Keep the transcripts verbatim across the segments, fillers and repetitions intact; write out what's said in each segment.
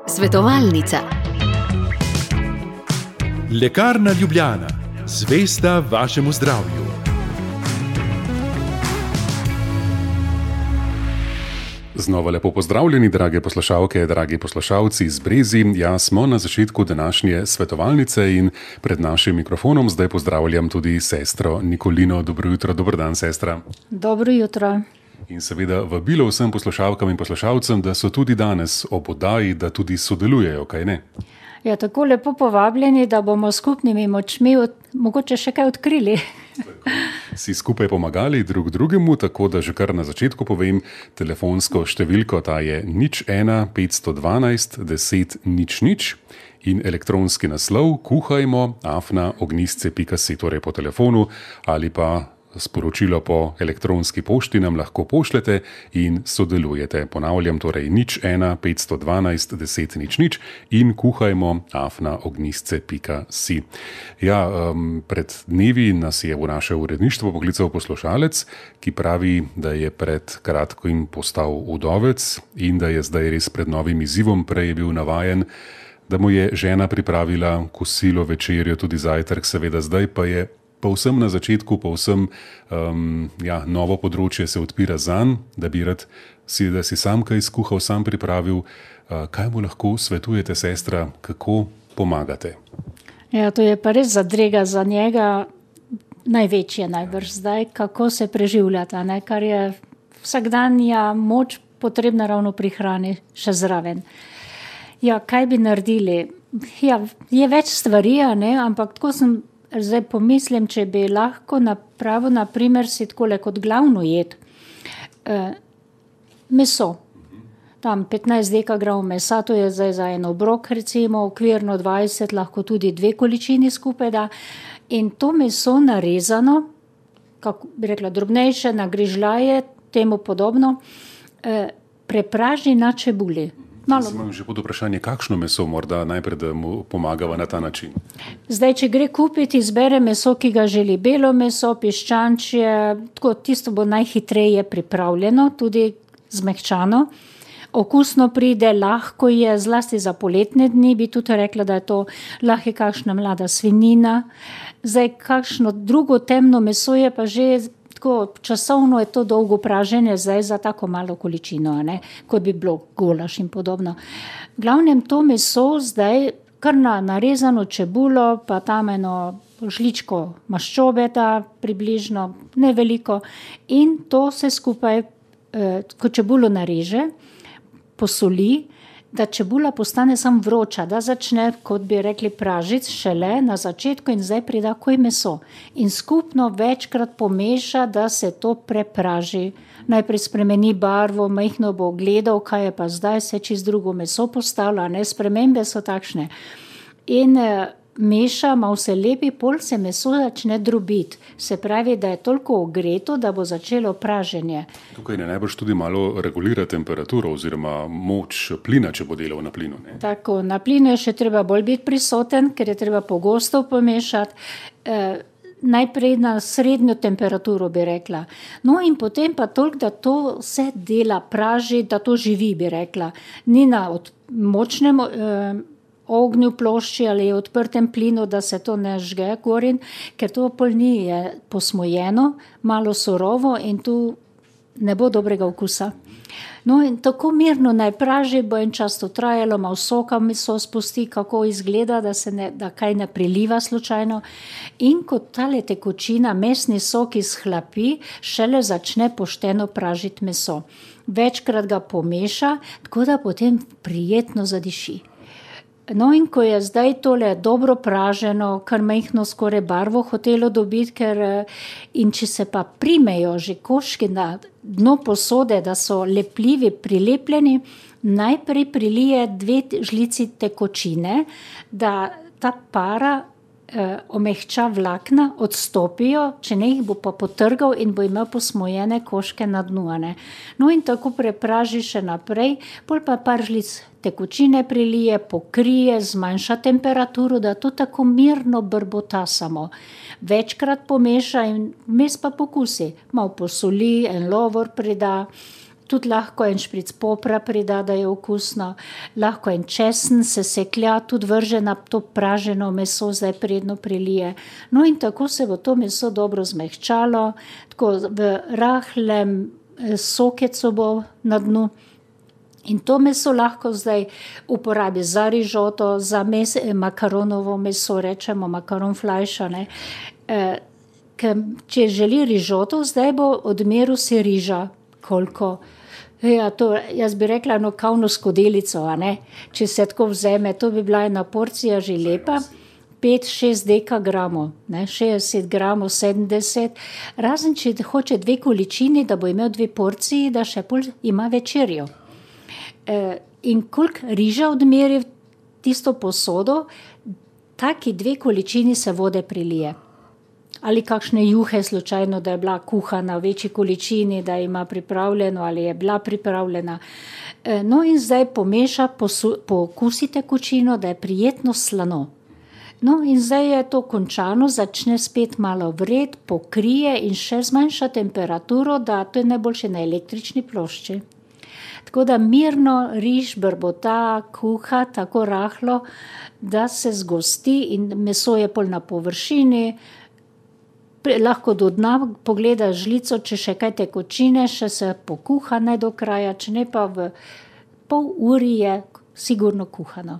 Svetovalnica. Lekarna Ljubljana, zvesta vašemu zdravju. Znova lepo pozdravljeni, drage poslušalke, dragi poslušalci iz Brezi. Ja, smo na začetku današnje svetovalnice in pred našim mikrofonom zdaj pozdravljam tudi sestro Nikolino. Dobro jutro, dober dan, sestra. Dobro jutro. In seveda vabilo vsem poslušalkam in poslušalcem, da so tudi danes ob oddaji, da tudi sodelujejo, kaj ne? Ja, tako lepo povabljeni, da bomo skupnimi močmi od, mogoče še kaj odkrili. Si skupaj pomagali drug drugemu, tako da že kar na začetku povem telefonsko številko, ta je nič ena petsto dvanajst deset nič nič in elektronski naslov kuhajmo afna ognjisce pika si, torej po telefonu ali pa sporočilo po elektronski pošti nam lahko pošljete in sodelujete. Ponavljam, torej nič ena petsto dvanajst deset nič nič in kuhajmo afna ognjisce pika si. Ja, um, pred dnevi nas je v naše uredništvo poklical poslušalec, ki pravi, da je pred kratkim postal udovec in da je zdaj res pred novim izzivom. Prej je bil navajen, da mu je žena pripravila kosilo, večerjo, tudi zajtrk, seveda zdaj pa je povsem na začetku, povsem um, ja, novo področje se odpira zanj, da bi rad si, da si sam kaj skuhal, sam pripravil. Uh, kaj mu lahko svetujete, sestra, kako pomagate? Ja, to je pa res zadrega za njega največje najbrž zdaj, kako se preživljata, ne? Kar je vsakdanja moč potrebna ravno pri hrani še zraven. Ja, kaj bi naredili? Ja, je več stvari, ne? Ampak tako sem zdaj pomislim, če bi lahko napravil, na primer, si takole kot glavno jed. E, meso. Tam petnajst dekagramov mesa, to je zdaj za en obrok, recimo, okvirno dvajset, lahko tudi dve količini skupaj da. In to meso narezano, kako bi rekla, drobnejše, na grižljaje, temu podobno, e, prepraži na čebuli. Malo. Imam že pod vprašanje, kakšno meso morda najprej, da mu pomagava na ta način? Zdaj, če gre kupiti, izbere meso, ki ga želi, belo meso, piščančje, tako tisto bo najhitreje pripravljeno, tudi zmehčano. Okusno pride, lahko je, zlasti za poletne dni, bi tudi rekla, da je to lahko kakšna mlada svinjina. Zdaj, kakšno drugo temno meso je pa že tako časovno je to dolgo praženje zdaj za tako malo količino, ne, kot bi bilo golaš in podobno. Glavnem to meso zdaj kar na narezano čebulo, pa tam eno žličko maščobe da približno, ne veliko, in to se skupaj, eh, ko čebulo nareže, posoli, da čebula postane sam vroča, da začne, kot bi rekli, pražiti šele na začetku in zdaj prida koj meso. In skupno večkrat pomeša, da se to prepraži. Najprej spremeni barvo, majhno bo gledal, kaj je pa zdaj, se čez drugo meso postavlja, ne, spremembe so takšne. In eh, meša, malo se lepi, pol se meso začne drobiti. Se pravi, da je toliko ogreto, da bo začelo praženje. Tukaj ne najbrž tudi malo regulira temperaturo oziroma moč plina, če bo delal na plinu, ne? Tako, na plinu je še treba bolj biti prisoten, ker je treba pogosto pomešati. Eh, najprej na srednjo temperaturo, bi rekla. No in potem pa toliko, da to vse dela praži, da to živi, bi rekla. Ni na od močnem eh, ognju plošči ali odprtem plinu, da se to ne žge gorin, ker to pol ni je posmojeno, malo surovo in tu ne bo dobrega okusa. No in tako mirno naj praži, bo en čas to trajalo, malo soka meso spusti, kako izgleda, da se ne, da kaj ne priliva slučajno. In kot tale tekočina, mesni sok izhlapi, šele začne pošteno pražiti meso. Večkrat ga pomeša, tako da potem prijetno zadiši. No in ko je zdaj tole dobro praženo, kar majhno skoraj barvo hotelo dobiti, ker in če se pa primejo že koški na dno posode, da so lepljivi, prilepljeni, najprej prilije dve žlici tekočine, da ta para eh, omehča vlakna, odstopijo, če ne jih bo pa potrgal in bo imel posmojene koške na dnu. Ne? No in tako prepraži še naprej, pol pa par žlic tekočine prilije, pokrije, zmanjša temperaturo, da to tako mirno brbota samo. Večkrat pomeša in vmes pa pokusi. Malo posoli, en lovor prida, tudi lahko en špric popra prida, da je okusno, lahko en česen se seklja, tudi vrže na to praženo meso, zdaj predno prilije. No in tako se bo to meso dobro zmehčalo, tako v rahlem sokecu bo na dnu. In to meso lahko zdaj uporabi za rižoto, za mes, makaronovo meso, rečemo makaronflajša, ne. E, če želi rižoto, zdaj bo odmeril si riža, koliko. Ja, to, jaz bi rekla, no, kavno skodelico, a ne. Če se tako vzeme, to bi bila ena porcija že lepa, pet šest dekagramov, ne, šestdeset gramov, sedemdeset, razen če hoče dve količini, da bo imel dve porciji, da še pol ima večerjo. In koliko riža odmeri tisto posodo, taki dve količini se vode prilije. Ali kakšne juhe slučajno, da je bila kuhana v večji količini, da ima pripravljeno ali je bila pripravljena. No in zdaj pomeša, pokusi tekočino, da je prijetno slano. No in zdaj je to končano, začne spet malo vreti, pokrije in še zmanjša temperaturo, da to je najboljše na električni plošči. Tako da mirno riž brbota, kuha tako rahlo, da se zgosti in meso je pol na površini, lahko do dna pogleda žlico, če še kaj tekočine, še se pokuha ne do kraja, če ne pa v pol uri je sigurno kuhano.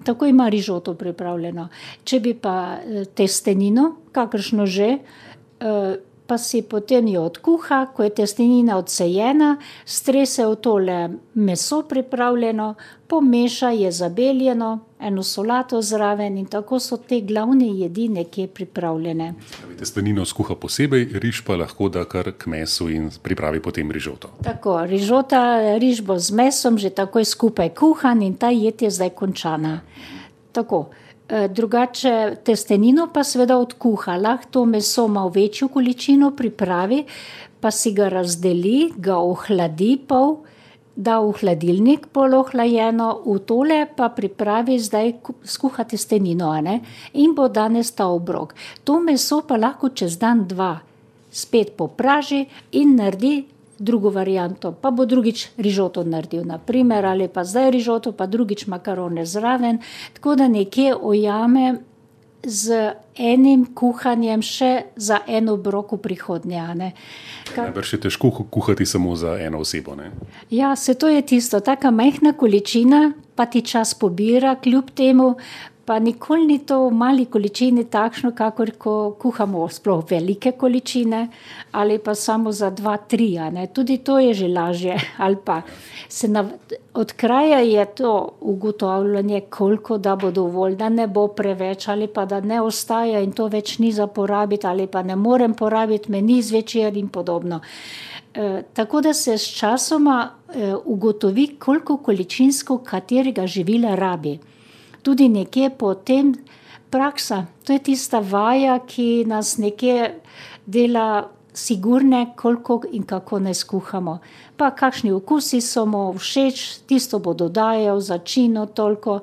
Tako ima rižoto pripravljeno. Če bi pa testenino, kakršno že, pa si potem jo odkuha, ko je testenina odsejena, strese v tole meso pripravljeno, pomeša, je zabeljeno, eno solato zraven in tako so te glavne jedi nekje pripravljene. Testenino skuha posebej, riž pa lahko da kar k mesu in pripravi potem rižoto. Tako, rižota, riž bo z mesom že takoj skupaj kuhan in ta jed je zdaj končana. Tako. Drugače testenino pa seveda odkuha, lahko to meso malo večjo količino pripravi, pa si ga razdeli, ga ohladi pol, da v hladilnik pol ohlajeno, v tole pa pripravi zdaj skuha testenino, a ne, in bo danes ta obrok. To meso pa lahko čez dan dva spet popraži in naredi drugo varianto, pa bo drugič rižoto naredil, na primer, ali pa zdaj rižoto, pa drugič makarone zraven, tako da nekje ojame z enim kuhanjem še za en obrok v prihodnje, a ne. Kar... Najbrž je težko kuhati samo za eno osebo, ne? Ja, se to je tisto, taka majhna količina, pa ti čas pobira, kljub temu, pa nikoli ni to v mali količini takšno, kakor ko kuhamo sploh velike količine, ali pa samo za dva, tri, a ne. Tudi to je že lažje, ali pa se nav... od kraja je to ugotavljanje, koliko da bo dovolj, da ne bo preveč, ali pa da ne ostaja in to več ni za porabiti, ali pa ne morem porabiti, meni zvečer in podobno. E, tako da se s časoma e, ugotovi, koliko količinsko katerega živila rabi. Tudi nekje potem praksa, to je tista vaja, ki nas nekje dela sigurne, koliko in kako ne skuhamo. Pa kakšni okusi so mu všeč, tisto bo dodajal, začino toliko,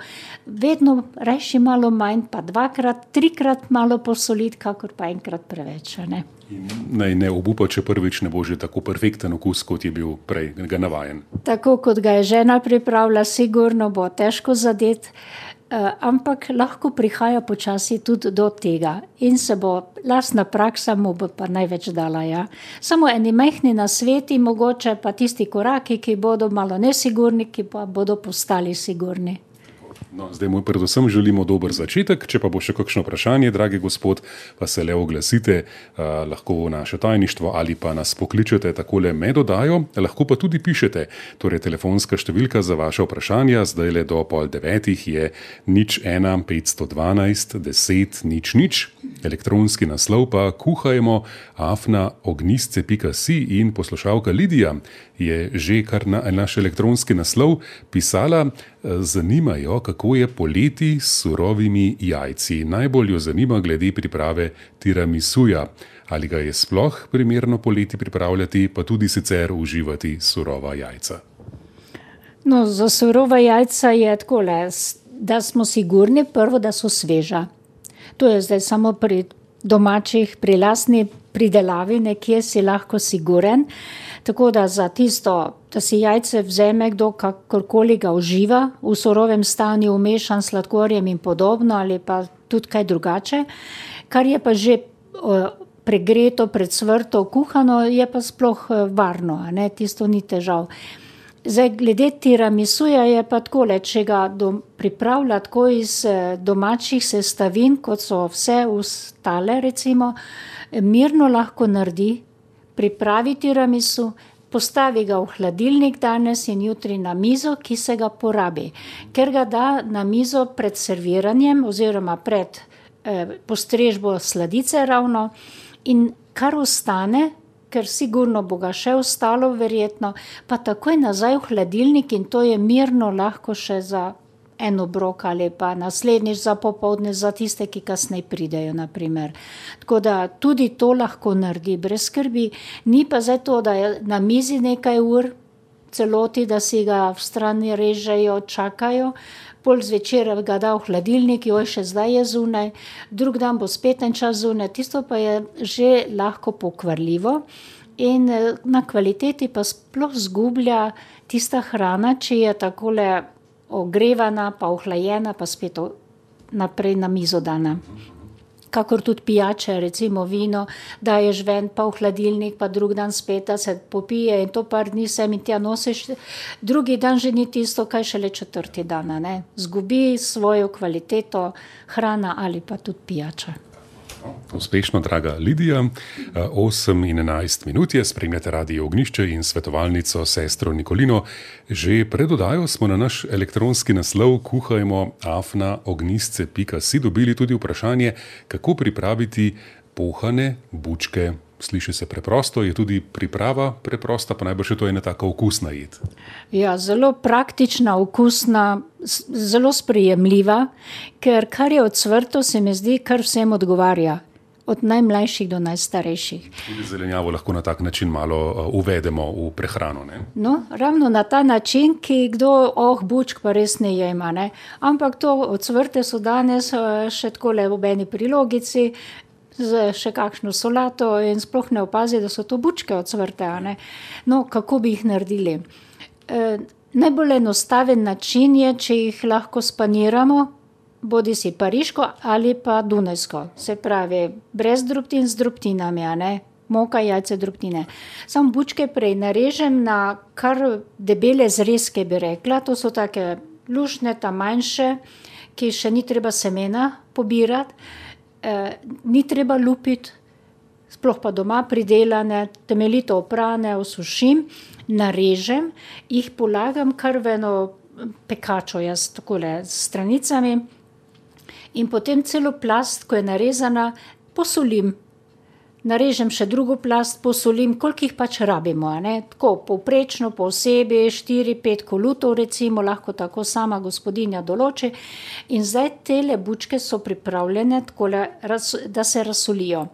vedno rajši malo manj, pa dvakrat, trikrat malo posoliti, kakor pa enkrat preveč, ne. In naj ne obupa, če prvič ne bo že tako perfekten okus, kot je bil prej ga navajen. Tako kot ga je žena pripravila, sigurno bo težko zadeti. Uh, ampak lahko prihaja počasi tudi do tega in se bo lastna praksa mu bo pa največ dala, ja. Samo eni majhni nasveti, mogoče pa tisti koraki, ki bodo malo nesigurni, ki pa bodo postali sigurni. No, zdaj mu predvsem želimo dober začetek, če pa bo še kakšno vprašanje, dragi gospod, pa se le oglasite, uh, lahko v naše tajništvo ali pa nas pokličete takole med oddajo, lahko pa tudi pišete, torej telefonska številka za vaše vprašanja, zdaj le do pol devetih je nič ena petsto dvanajst deset nič nič, elektronski naslov pa kuhajmo afna ognjisce pika si in poslušalka Lidija je že kar na naš elektronski naslov pisala, zanimajo, kako je poleti s surovimi jajci. Najbolj jo zanima glede priprave tiramisuja. Ali ga je sploh primerno poleti pripravljati, pa tudi sicer uživati surova jajca? No, za surova jajca je takole, da smo sigurni prvo, da so sveža. To je zdaj samo pri domačih, pri lastni pridelavi, nekje si lahko siguren. Tako da za tisto, da si jajce vzeme kdo, kakorkoli ga uživa, v surovem stanju umešan s sladkorjem in podobno, ali pa tudi kaj drugače, kar je pa že pregreto, predsvrto, kuhano, je pa sploh varno, a ne, tisto ni težav. Zdaj, glede tiramisuja je pa takole, če ga dom, pripravlja tako iz domačih sestavin, kot so vse ostale, recimo, mirno lahko naredi, pripravi tiramisu, postavi ga v hladilnik danes in jutri na mizo, ki se ga porabi. Ker ga da na mizo pred serviranjem oziroma pred eh, postrežbo sladice ravno in kar ostane, ker sigurno bo ga še ostalo verjetno, pa takoj nazaj v hladilnik in to je mirno lahko še za en obrok ali pa naslednjič za popoldne za tiste, ki kasneje pridejo, na primer. Tako da tudi to lahko naredi brez skrbi. Ni pa zdaj to, da je na mizi nekaj ur celoti, da si ga v strani režejo, čakajo, pol zvečer ga da v hladilnik, joj, še zdaj je zunaj, drug dan bo spet en čas zunaj, tisto pa je že lahko pokvarljivo in na kvaliteti pa sploh zgublja tista hrana, če je takole ogrevana, pa ohlajena, pa spet naprej na mizo dana. Kakor tudi pijače, recimo vino, daješ ven, pa v hladilnik, pa drug dan spet, da se popije in to par dni sem in tja nosiš, drugi dan že ni tisto, kaj šele četrti dan, ne. Zgubi svojo kvaliteto hrana ali pa tudi pijača. Uspešno, draga Lidija. osem in enajst minut je, spremljate Radio Ognjišče in svetovalnico sestro Nikolino. Že pred oddajo smo na naš elektronski naslov kuhajmo afna ognjisce pika si dobili tudi vprašanje, kako pripraviti pohane bučke. Sliši se preprosto, je tudi priprava preprosta, pa najbrž je to ena taka okusna jed. Ja, zelo praktična, okusna, zelo sprejemljiva, ker kar je odsvrto, se mi zdi, kar vsem odgovarja. Od najmlajših do najstarejših. Tudi zelenjavo lahko na tak način malo uvedemo v prehrano, ne? No, ravno na ta način, ki kdo, oh, bučk pa res ne jema, ne. Ampak to odsvrte so danes še takole v eni prilogici, z še kakšno solato in sploh ne opazi, da so to bučke odsvrte, a ne. No, kako bi jih naredili? E, najbolj enostaven način je, če jih lahko spaniramo, bodi si pariško ali pa dunajsko. Se pravi, brez drobtin z drobtinami, a ne. Moka, jajce, drobtine. Samo bučke prej narežem na kar debele zrezke, bi rekla. To so take luštne, ta manjše, ki še ni treba semena pobirati. Eh, ni treba lupiti, sploh pa doma pridelane, temeljito oprane, osušim, narežem, jih polagam kar v eno pekačo, jaz takole s stranicami in potem celo plast, ko je narezana, posolim. Narežem še drugo plast, posolim, koliko jih pač rabimo, a ne, tako povprečno, po osebi, štiri, pet kolutov recimo, lahko tako sama gospodinja določi in zdaj tele bučke so pripravljene takole, da se razsolijo.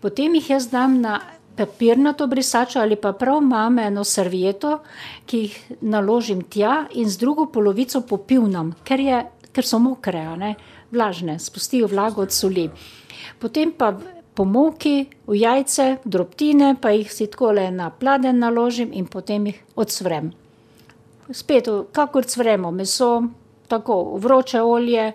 Potem jih jaz dam na papirnato brisačo ali pa prav imam eno servieto, ki jih naložim tja in z drugo polovico popivnam, ker je, ker so mokre, a ne, vlažne, spustijo vlago od soli. Potem pa po moki, v jajce, drobtine, pa jih si takole na pladenj naložim in potem jih odsvrem. Spet, kakor cvremo meso, tako vroče olje,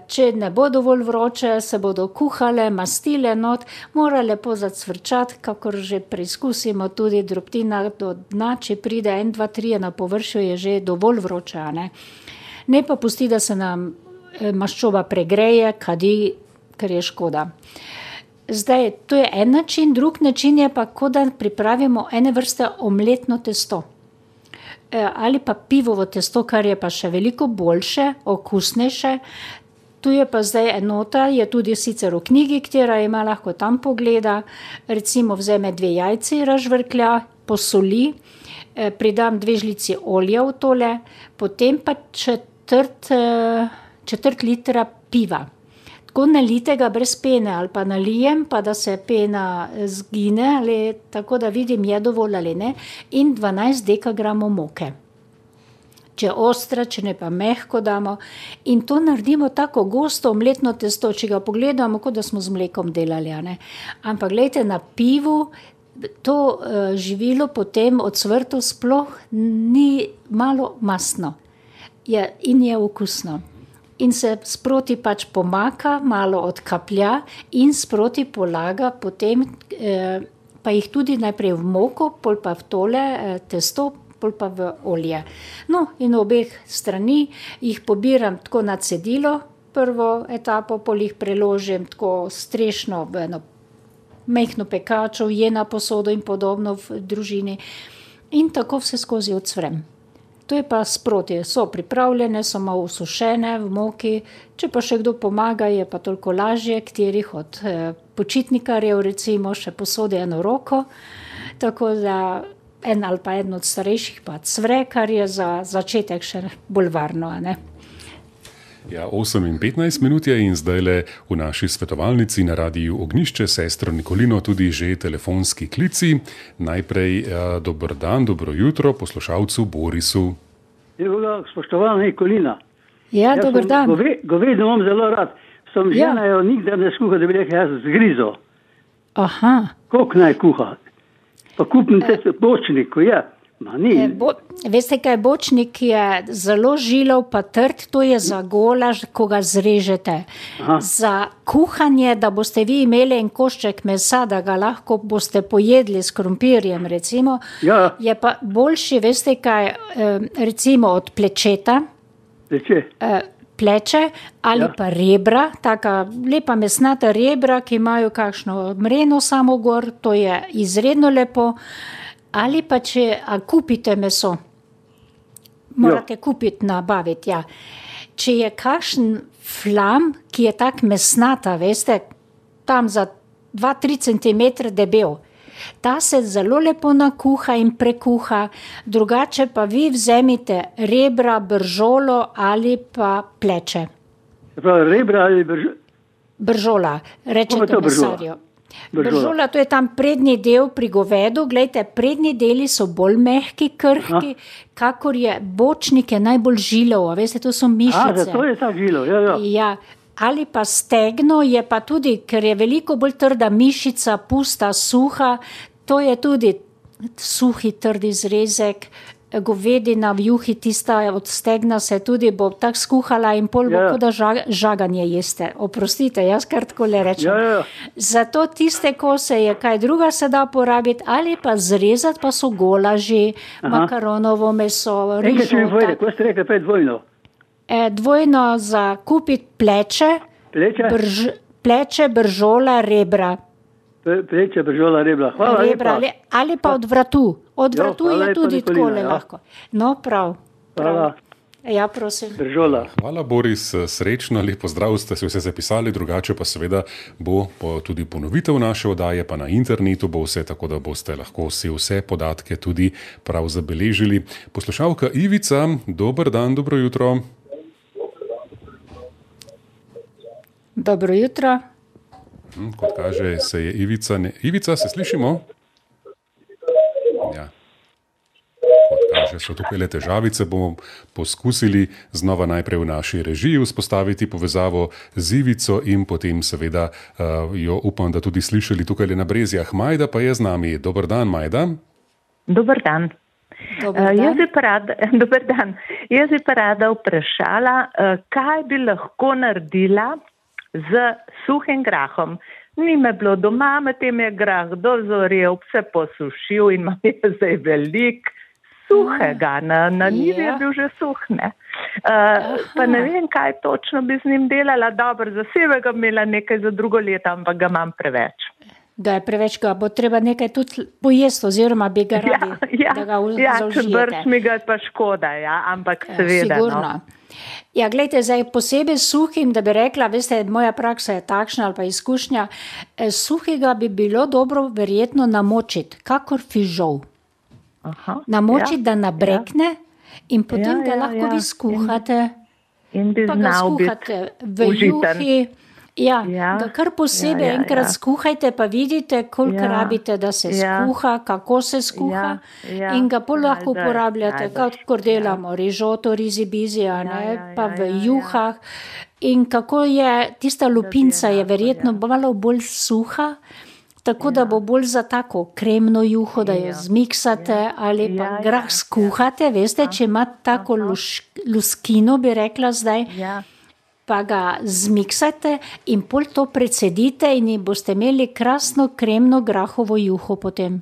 če ne bo dovolj vroče, se bodo kuhale, mastile not, mora lepo zacvrčati, kakor že preizkusimo tudi drobtina do dna, če pride en, dva, trije na površju, je že dovolj vroče, a ne. Ne pa pusti, da se nam maščoba pregreje, kadi, ker je škoda. Zdaj, to je en način, drug način je pa, ko da pripravimo ene vrste omletno testo. E, ali pa pivovo testo, kar je pa še veliko boljše, okusnejše. Tu je pa zdaj enota, je tudi sicer v knjigi, katera ima, lahko tam pogleda. Recimo vzeme dve jajci, razžvrklja, posoli, e, pridam dve žlici olja v tole, potem pa četrt, četrt litra piva. Tako nalitega brez pene ali pa nalijem, pa da se pena zgine, ali tako da vidim, je dovolj ali ne, in dvanajst dekagramov moke. Če ostra, če ne pa mehko damo in to naredimo tako gosto omletno testo, če ga pogledamo, kot da smo z mlekom delali, a ne. Ampak glejte, na pivu to uh, živilo potem od cvrtov sploh ni malo mastno je, in je okusno. In se sproti pač pomaka, malo odkaplja in sproti polaga potem, eh, pa jih tudi najprej v moko, pol pa v tole eh, testo, pol pa v olje. No, in obeh strani jih pobiram tako na cedilo, prvo etapo, pol jih preložim tako strešno v eno mehno pekačo, je na posodo in podobno v družini in tako vse skozi odsvrem. To je pa sproti, so pripravljene, so malo usušene v moki, če pa še kdo pomaga, je pa toliko lažje, katerih od eh, počitnikarjev recimo še posodi eno roko, tako da en ali pa eden od starejših pa cvre, kar je za začetek še bolj varno, a ne? Ja, osem in petnajst minut je in zdajle v naši svetovalnici na radiju Ognjišče sestro Nikolino tudi že telefonski klici. Najprej ja, dober dan, dobro jutro poslušalcu Borisu. Evo, spoštovana Nikolina. Ja, jaz dober dan. Gove, govedo imam zelo rad. Sem Ja. žena jo nikdar ne skuha, da bi rekel, jaz zgrizo. Aha. Koliko naj kuha? Pa kupim te bočnik, ko je. Ma ni. E, bo, veste kaj, bočnik je zelo žilav pa trd, to je za golaž, ko ga zrežete. Aha. Za kuhanje, da boste vi imeli en košček mesa, da ga lahko boste pojedli s krompirjem, recimo, Ja. je pa boljši, veste kaj, eh, recimo od plečeta, Reče, eh, pleče ali Ja. pa rebra, taka lepa mesnata rebra, ki imajo kakšno mreno samo gor, to je izredno lepo. Ali pa če a kupite meso, morate kupiti, nabaviti, ja. Če je kakšen flam, ki je tak mesnata, veste, tam za dva do tri centimetre debel, ta se zelo lepo nakuha in prekuha, drugače pa vi vzemite rebra, bržolo ali pa pleče. se pravi, rebra ali brž... Bržola, Kako je rečete to bržola? mesarju. Bržola. Bržola, to je tam prednji del pri govedu. Glejte, prednji deli so bolj mehki, krhki, kakor je bočnik je najbolj žilav, a veste, to so A, mišice. zato je ta žilo, ja, ja. Ja, ali pa stegno je pa tudi, ker je veliko bolj trda mišica, pusta, suha, to je tudi suhi, trdi zrezek, govedina v juhi, tista od stegna se tudi bo tako skuhala in pol bo, Ja. kot da žag, žaganje jeste. Oprostite, jaz kar tako le rečem. Ja, ja. Zato tiste kose je kaj druga se da porabiti, ali pa zrezati, pa so golaži, Aha. makaronovo meso, Enkrat še mi rižota. povede, ko ste rekli pred vojno. E, dvojno za kupiti pleče, Pleče, brž, pleče, bržola, rebra. Pre- pleče, bržola, rebra. Hvala rebra ali, lepa. ali pa od vratu. Od Jo, vratu hvala je lepa, tudi Nikolina, takole ja. lahko. No, prav. prav. Hvala, Ja, prosim. bržola. Hvala, Boris, srečno, lep pozdrav, ste se vse zapisali, drugače pa seveda bo po, tudi ponovitev naše oddaje, pa na internetu bo vse, tako da boste lahko vse, vse podatke tudi prav zabeležili. Poslušalka Ivica, dober dan, dobro jutro. Dobro jutro. Hm, kot kaže, se je Ivica... Ne... Ivica, se slišimo? Ja. Kot kaže, so tukaj le težavice. Bomo poskusili znova najprej v naši režiji vzpostaviti povezavo z Ivico in potem seveda uh, jo upam, da tudi slišali tukaj le na Brezjah. Majda pa je z nami. Dober dan, Majda. Dober dan. Dober Uh, dan. jaz, bi pa rada, dober dan. Jaz bi pa rada vprašala, uh, kaj bi lahko naredila z suhim grahom. Ni me bilo doma, medtem je grah dozorel, se posušil in imam je zdaj velik suhega. Na, na njivi je Ja. bil že suh, ne. Uh, pa ne vem, kaj točno bi z njim delala. Dobro, za sebega imela nekaj za drugo leto, ampak ga imam preveč. Ga je preveč, ga bo treba nekaj tudi pojesti, oziroma bi ga Ja, radi, ja, da ga v- ja, če zaužijete. brž mi ga je pa škoda, ja, ampak seveda. Sigurno. No. Ja, gledajte, zdaj posebej suhim, da bi rekla, veste, moja praksa je takšna ali pa izkušnja, eh, suhega bi bilo dobro verjetno namočiti, kakor fižol. Aha, Namočiti, ja, da nabrekne in potem Ja, ga ja, lahko ja. vi skuhate, in bi pa ga znal biti skuhate v užiten. juhi. Ja, Ja, ga kar posebej ja, ja, enkrat ja. skuhajte, pa vidite, koliko Ja, rabite, da se ja. skuha, kako se skuha Ja, ja, in ga pol lahko najbrž, uporabljate, najbrž, kot delamo rižoto, rizi bizi, a ne, Ja, ja, pa ja, v ja, ja. juhah. In kako je, tista lupinca je enako, verjetno ja. malo bolj suha, tako da bo bolj za tako kremno juho, da jo zmiksate ali pa Ja, grah ja, skuhate, veste, če ima tako luš, luskino, bi rekla zdaj, Ja. pa ga zmiksate in pol to precedite in boste imeli krasno kremno grahovo juho potem.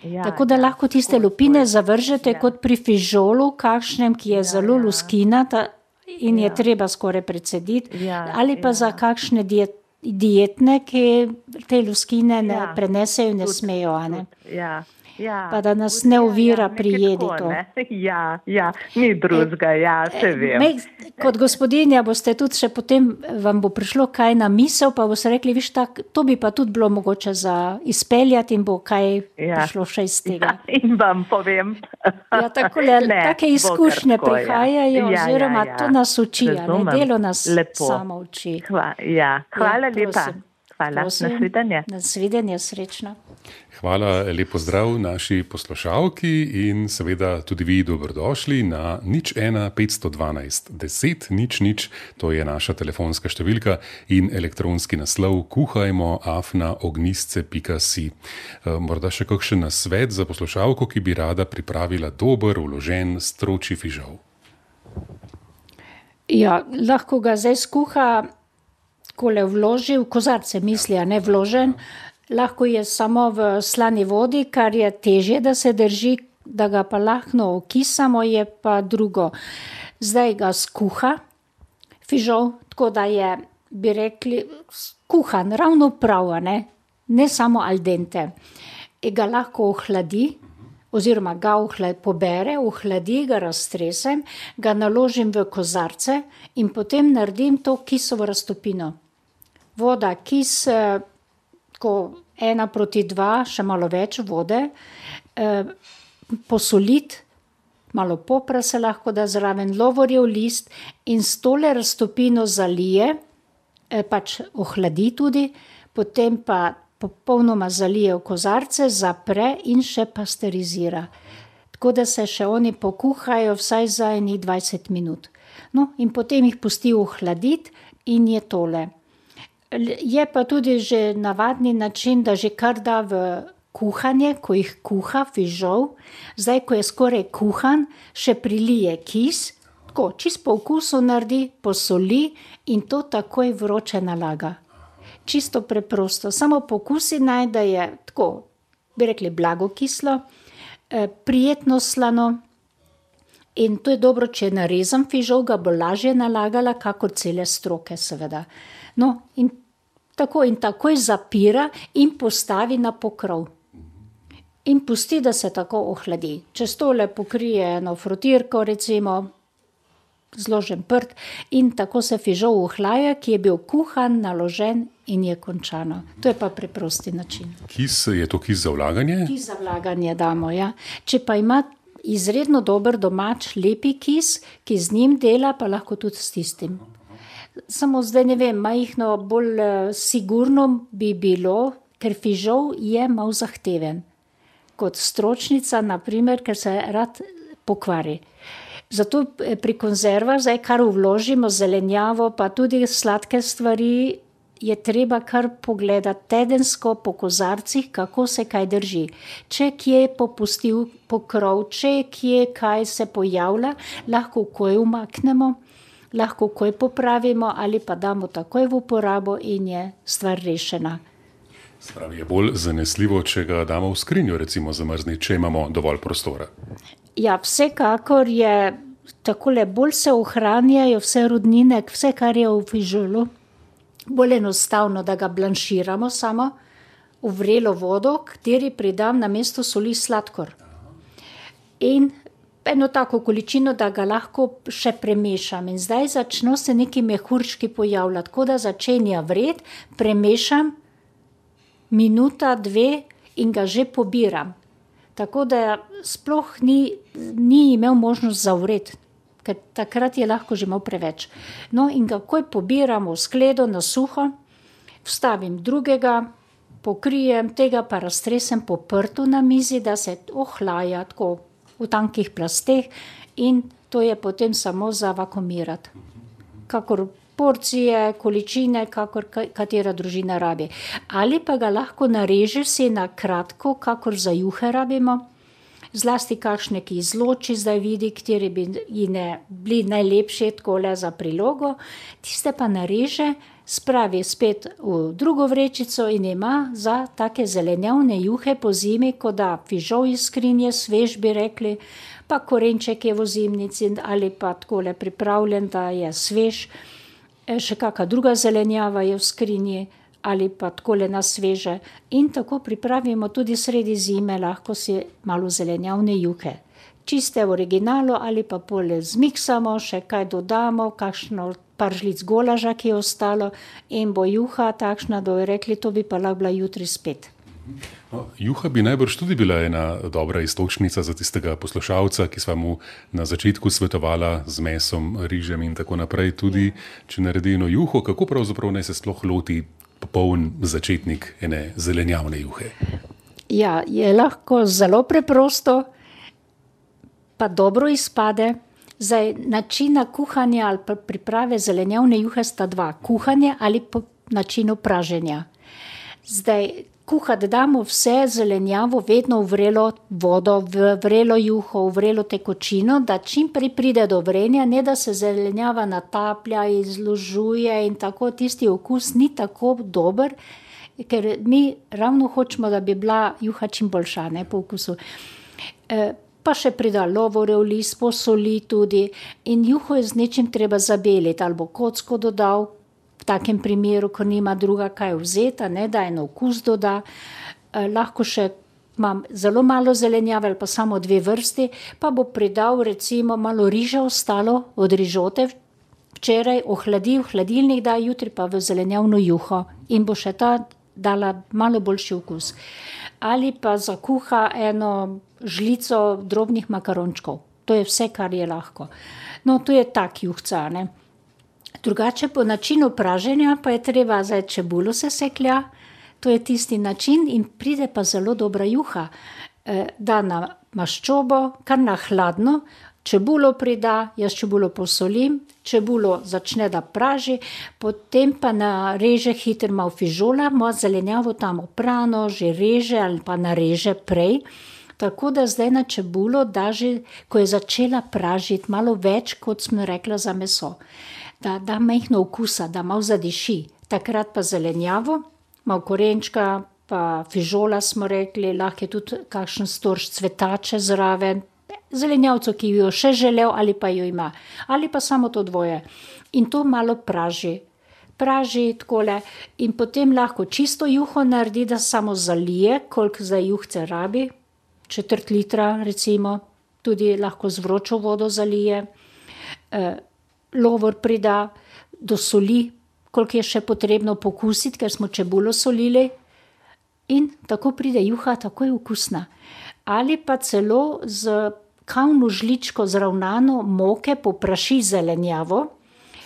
Ja, Tako da ja, lahko tiste tako, lupine tako je. zavržete Ja. kot pri fižolu, kakšnem, ki je zelo ja. luskinata in je Ja. treba skoraj precediti, Ja, ali pa ja. za kakšne diet, dietne, ki te luskine ne Ja, prenesejo in ne tudi, smejo, a ne. tudi, Ja. Ja, Pa da nas tudi, ne ja, ovira ja, pri nekaj jedi tako, to. ne. Ja, ja, ni drugega, ja, se vem. Me, kot gospodinja boste tudi še potem, vam bo prišlo kaj na misel, pa boste rekli, viš tak, to bi pa tudi bilo mogoče za izpeljati in bo kaj Ja. prišlo še iz tega. Ja, in vam povem. Ja, takole, Ne, take bo izkušnje kar tako, ja. prihajajo, Ja, oziroma ja, ja. to nas uči, a ne, Razumem. delo nas Lepo. samo uči. Hva, ja, hvala Ja, lepa. prosim. Hvala, Prosim. nasvidenje. Nasvidenje, srečno. Hvala, lepo zdrav naši poslušalki in seveda tudi vi dobrodošli na nič ena petsto dvanajst deset nič nič, to je naša telefonska številka in elektronski naslov kuhajmo afna ognjisce pika si. Morda še kakšen nasvet za poslušalko, ki bi rada pripravila dober, vložen stročji fižol. Ja, lahko ga zdaj skuha, kole vloži v kozarce, misli, a ne vložen. Lahko je samo v slani vodi, kar je težje, da se drži, da ga pa lahko okisamo, je pa drugo. Zdaj ga skuha, fižol, tako da je, bi rekli, kuhan, ravno prav, a ne, ne samo al dente. In ga lahko ohladi, oziroma ga ohladi, pobere, ohladi, ga raztresem, ga naložim v kozarce in potem naredim to kisovo raztopino. Voda, kis, eh, ko ena proti dva, še malo več vode, eh, posoliti, malo popra se lahko da zraven, lovorjev list in s tole raztopino zalije, eh, pač ohladi tudi, potem pa popolnoma zalije v kozarce, zapre in še pasterizira. Tako da se še oni pokuhajo vsaj za enih dvajset minut. No, in potem jih pusti ohladiti in je tole. Je pa tudi že navadni način, da že kar da v kuhanje, ko jih kuha fižol, zdaj, ko je skoraj kuhan, še prilije kis, tako, čist po okusu naredi, posoli in to takoj vroče nalaga. Čisto preprosto, samo pokusi naj, da je tako, bi rekli, blago kislo, eh, prijetno slano in to je dobro, če narezam fižol, ga bo lažje nalagala, kakor cele stroke seveda. No, in tako in takoj zapira in postavi na pokrov. In pusti, da se tako ohladi. Čez tole pokrije eno frotirko, recimo, zložen prt in tako se fižol ohlaja, ki je bil kuhan, naložen in je končano. To je pa preprosti način. Kis, je to kis za vlaganje? Kis za vlaganje damo, ja. Če pa ima izredno dober domač, lepi kis, ki z njim dela, pa lahko tudi s tistim. Samo zdaj ne vem, majhno bolj uh, sigurno bi bilo, ker fižol je mal zahteven. Kot stročnica, naprimer, ker se rad pokvari. Zato pri konzervah, zdaj kar vložimo, zelenjavo, pa tudi sladke stvari, je treba kar pogledati tedensko po kozarcih, kako se kaj drži. Če kje je popustil pokrov, če kje kaj se pojavlja, lahko koj umaknemo, lahko koj popravimo ali pa damo takoj v uporabo in je stvar rešena. Spravi, je bolj zanesljivo, če ga damo v skrinjo, recimo zamrzniti, če imamo dovolj prostora. Ja, vsekakor je takole, bolj se ohranjajo vse rudnine, vse, kar je v fižolu, bolj enostavno, da ga blanširamo samo v vrelo vodo, kateri pridam na mesto soli sladkor. In eno tako količino, da ga lahko še premešam. In zdaj začno se neki mehurčki pojavljati, tako da začenja vred, premešam minuta, dve in ga že pobiram. Tako da sploh ni, ni imel možnost zavreti, ker takrat je lahko že malo preveč. No in ga takoj pobiram v skledo na suho, vstavim drugega, pokrijem, tega pa raztresem po prtu na mizi, da se ohlaja tako v tankih plasteh in to je potem samo za vakuumirati. Kakor porcije, količine, kakor katera družina rabi. Ali pa ga lahko narežeš si na kratko, kakor za juhe rabimo. Zlasti kakšne, ki izloči, zdaj vidi, kateri bi ne bili najlepši takole za prilogo. Tiste pa nareže, spravi spet v drugo vrečico in ima za take zelenjavne juhe po zimi, ko da fižol iz skrinje, svež bi rekli, pa korenček je v zimnici ali pa takole pripravljen, da je svež. Še kakšna druga zelenjava je v skrinji ali pa takole na sveže. In tako pripravimo tudi sredi zime, lahko si malo zelenjavne juhe. Čiste v originalu ali pa pole zmiksamo, še kaj dodamo, kakšno par žlic golaža, ki je ostalo in bo juha takšna, da bi rekli, to bi pa lahko bila jutri spet. No, juha bi najbrž tudi bila ena dobra istočnica za tistega poslušalca, ki sva mu na začetku svetovala z mesom, rižem in tako naprej. Tudi, če naredi eno juho, kako pravzaprav naj se sploh loti popoln začetnik ene zelenjavne juhe? Ja, je lahko zelo preprosto, pa dobro izpade. Zdaj, načina kuhanja ali pa priprave zelenjavne juhe sta dva. Kuhanje ali po načinu praženja. Zdaj, kuhati damo vse zelenjavo vedno v vrelo vodo, v vrelo juho, v vrelo tekočino, da čim prej pride do vrenja, ne da se zelenjava nataplja, izložuje in tako, tisti okus ni tako dober, ker mi ravno hočemo, da bi bila juha čim boljša, ne, po okusu. E, pa še prida lovorjev list, posoli tudi in juho je z nečim treba zabeliti, ali bo kocko dodal, v takem primeru, ko nima druga kaj vzeta, ne, da eno okus doda. Eh, lahko še imam zelo malo zelenjave ali pa samo dve vrsti, pa bo pridal recimo malo riža ostalo od rižote, včeraj ohladi, v hladilnik da, jutri pa v zelenjavno juho in bo še ta dala malo boljši okus. Ali pa zakuha eno žlico drobnih makarončkov. To je vse, kar je lahko. No, to je tak juhca, ne. Drugače po načinu praženja pa je treba, zdaj čebulo se seklja, to je tisti način in pride pa zelo dobra juha. E, da na maščobo, kar na hladno, čebulo prida, jaz čebulo posolim, čebulo začne da praži, potem pa nareže hitro malo fižola, malo zelenjavo tam oprano, že reže ali pa nareže prej. Tako da zdaj na čebulo da že, ko je začela pražiti, malo več, kot smo rekla za meso. Da da majhno okusa, da malo zadiši. Takrat pa zelenjavo, malo korenčka, pa fižola smo rekli, lahko je tudi kakšen storž cvetače zraven, zelenjavco, ki jo še želel ali pa jo ima. Ali pa samo to dvoje. In to malo praži. Praži takole in potem lahko čisto juho naredi, da samo zalije, koliko zdaj juhce rabi, četrt litra recimo, tudi lahko z vročo vodo zalije. E, lovor prida, dosoli, koliko je še potrebno pokusiti, ker smo čebulo solili in tako pride juha, tako je okusna. Ali pa celo z kavno žličko zravnano moke popraši zelenjavo,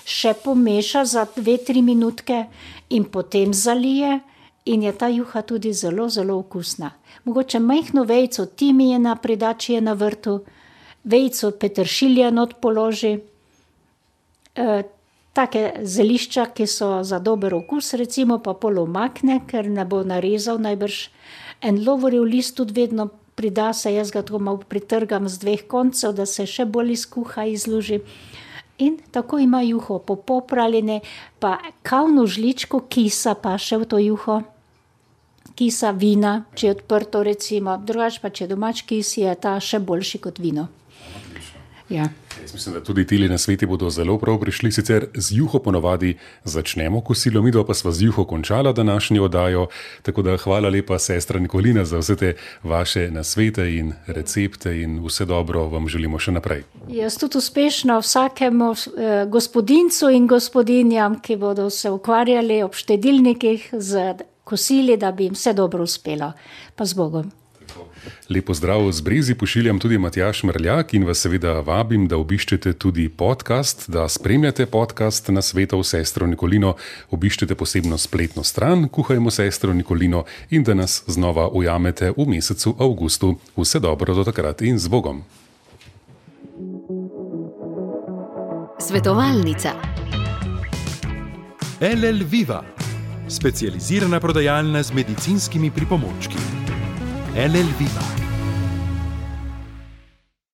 še pomeša za dve, tri minutke in potem zalije in je ta juha tudi zelo, zelo okusna. Mogoče majhno vejico timijana prida, če je na vrtu, vejico peteršilja not položi, e, take zelišča, ki so za dober okus, recimo pa pol umakne, ker ne bo narezal najbrž. En lovorjev list tudi vedno prida se, jaz ga tako malo pritrgam z dveh koncev, da se še bolj izkuha, izluži. In tako ima juho popopraljene, pa kavno žličko kisa pa še v to juho. Kisa vina, če je odprto recimo, drugače pa če domač kis, je ta še boljši kot vino. Ja. Jaz mislim, da tudi tili na sveti bodo zelo prav prišli, sicer z juho ponovadi začnemo kosilo, midva pa sva z juho končala današnjo oddajo, tako da hvala lepa sestra Nikolina za vse te vaše nasvete in recepte in vse dobro vam želimo še naprej. Jaz tudi uspešno vsakemu eh, gospodincu in gospodinjam, ki bodo se ukvarjali ob štedilnikih z kosili, da bi jim vse dobro uspelo. Pa z Bogom. Lepo zdrav, z Brezi pošiljam tudi Matjaž Mrljak in vas seveda vabim, da obiščete tudi podcast, da spremljate podcast na Svetov sestro Nikolino, obiščete posebno spletno stran Kuhajmo sestro Nikolino in da nas znova ujamete v mesecu avgustu. Vse dobro do takrat in z Bogom. Svetovalnica. L L Viva, specializirana prodajalna z medicinskimi pripomočki. L L Viva.